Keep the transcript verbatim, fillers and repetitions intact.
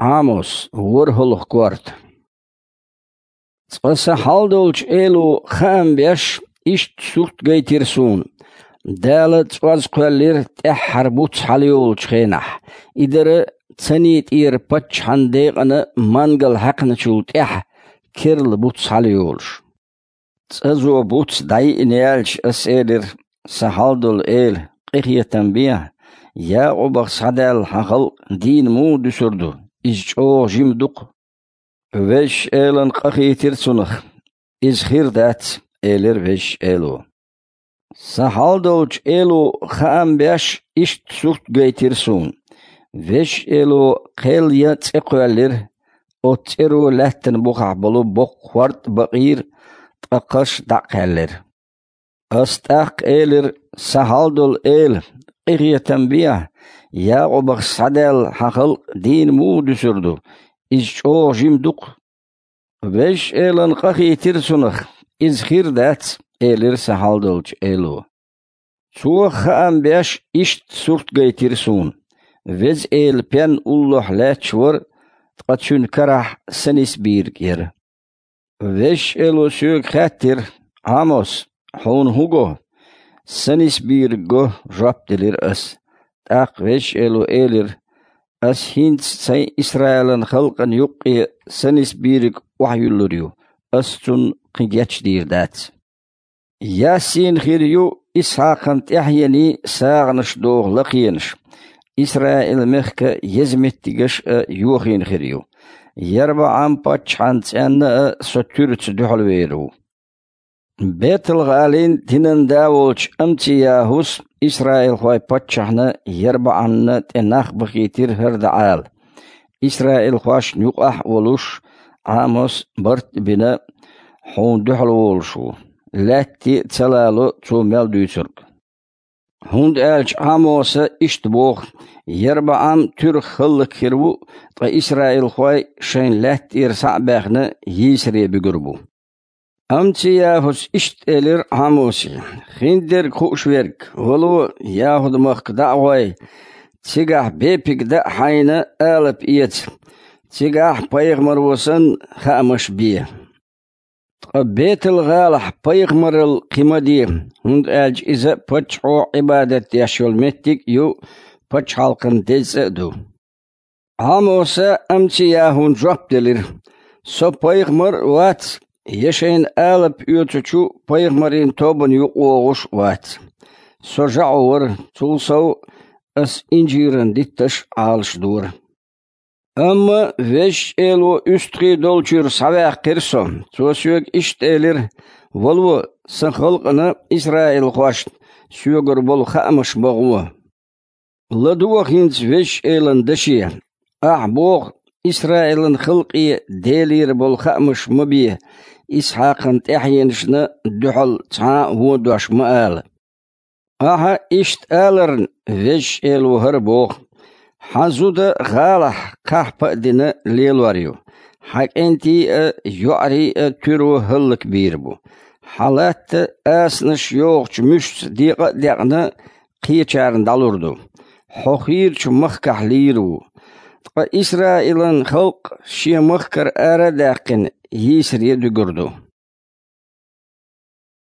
Ӏамос, ворхӀалгӀа корта. Цкъа сан хьалдолчу эло хаам беш, иштта сурт гайтира суна: Дала цӀоз кхоьллира тӀаьххьара буц хьалайолучу хенахь, и дара Цани тӀера паччахьан декъана мангал хьаькхначул тӀаьхьа керла буц хьалайолуш. ЦӀазо буц дӀайиъна яьлча, ас элира: «Сан хьалдолу Эла, къинхетам бе, Якъубах схьадаьлла хьан халкъ дийна муха дуьсур ду? Иза чӀогӀа жима ду-кх». Везачу Элана къахийтира цунах: «Иза хир дац», — элира Везачу Эло. Сан хьалдолчу эло хаам беш, иштта сурт гайтира суна: Везачу Эло кхел ян цӀе кхоьллира, оцу цӀеро лаьттан бухахь болу боккха хӀорд а бакъийра, ткъа кхаш дӀа а кхаьллира. Ас тӀаккха элира: «Сан хьалдолу Эла, къинхетам бе, Якъубах схьадаьлла хьан халкъ дийна муха дуьсур ду? Иза чӀогӀа жима ду-кх». Везачу Элана къахийтира цунах: «Иза хир дац», — элира сан хьалдолчу эло. Цо хаам беш, иштта сурт гайтира суна: Веза Эла пен уллохь лаьтташ вара, ткъа цуьнан карахь санисбийриг яра. Везачу Эло соьга хаьттира: «Ӏамос, хьуна хӀун го?» «Санисбийриг го», — жоп делира ас. ТӀаккха Везачу Эло элира: «Ас хӀинца сайн Исраилан халкъана юккъе санисбийриг охьаюьллур ю, ас цунна кхин гечдийр дац». Яссийна хир ю Исхьакхан тӀаьхьенийн сагӀанаш доху лакхенаш, Исраил-мехкан еза меттигаш а йохийна хир ю. ЯрбаӀам-паччахьан цӀенна а со туьраца дуьхьалвер ву. Бетал-гӀалин динан да волчу Амцияхус исраилхойн паччахьна ЯрбаӀамна тӀе нах бахийтира хӀара дӀаала. Исраилхошна юкъахь а волуш, Ӏамос барт а бина, хьуна дуьхьал волуш ву, лаьтте а ца лало цо мел дуьйцург. ХӀунда аьлча Ӏамоса иштта боху: «ЯрбаӀам туьрах хӀаллакьхир ву, ткъа исраилхой шайн лаьтта тӀера схьа а баьхна, йийсаре буьгур бу». Амцияхус иштта элира Ӏамосе: «Хиндерг хууш верг, вало, ЯхӀуд-махка дӀа а гӀой, цигахь бепиг дан а хьайна, алапа эца. Цигахь пайхамаро санна хаамаш бе. Ткъа Бетал-гӀалахь пайхамаралла кхин ма де, хӀунда аьлча иза паччахьо Ӏибадат деш йолу меттиг а ю, пачхьалкхан деза цӀа а ду». Ӏамоса Амцияхуна жоп делира: «Со пайхамар а вац, я шайна алапа оьцучу пайхамарийн тобанна юкъа вогӀуш а вац. Со жаӀу вара, цул сов ас инжиран дитташ а Ӏалашдора». Амма Везачу Эло уьстагӀий долчуьра схьаваьккхира со. Цо соьга иштта элира: «Вало, сан халкъана, исраилхошна, соьгара болу хаамаш ма гӀо. ЛадогӀа хӀинца Везачу Элан даше. Ахьа боху: „Исраилан халкъе Делера болу хаамаш ма бе, Исхьакхан тӀаьхьенашна дуьхьал цхьа а вон дош ма ала“. Ахьа иштта аларна, Везачу Эло хӀара боху: „Хьан зуда гӀалахь кхахьпа а дина лелор ю. Хьан кӀентий а, йоӀарий а туьро хӀаллакбийр бу. Хьан латта асанаш йохучу муьшца декъа а декъна, кхечарна дӀалур ду. Хьо хийрачу махкахь лийр ву. Ткъа Исраилан халкъ шен махкара ара а даьккхина, йийсаре дуьгур ду“».